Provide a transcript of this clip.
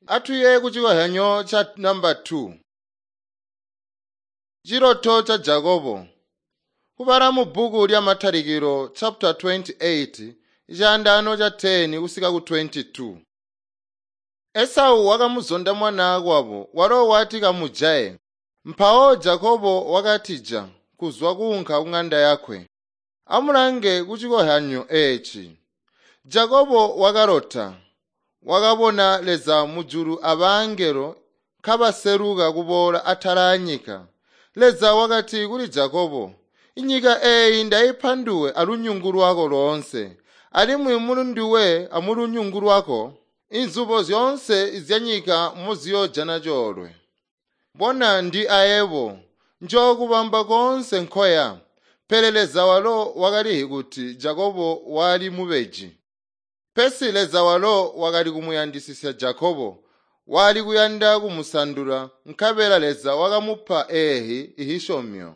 Atuye kucikozyanyo ca namba 2. Ciloto ca Jakobo. Kubala mu bbuku lya Matalikilo chapter 28 icaandaano ca 10 kusika ku 22. Esau wakamuzonda mwanaakwabo walo wati kamujaye. Mpawo Jakobo wakatija kuzwa kuunka kung'anda yakwe. Amulange kucikozyanyo eeci. Jakobo wakalota. Wakabona Leza mujulu abangelo kabaseluka kuboola atala anyika. Leza wakati kuli Jakobo, "Inyika eeyi ndaipa nduwe alunyungu lwako loonse, alimwi mulinduwe amulunyungu lwako inzubo zyoonse zyanyika moziyoojana coolwe. Bona ndi ayebo, njookubamba koonse nkoya." Pele Leza walo wakalizi kuti Jakobo wali mubeji. Pesi Leza walo wakali kumuyandisisya Jakobo, wali kuyanda kumusandula, nkabela Leza wakamupa eehi ihisyomyo.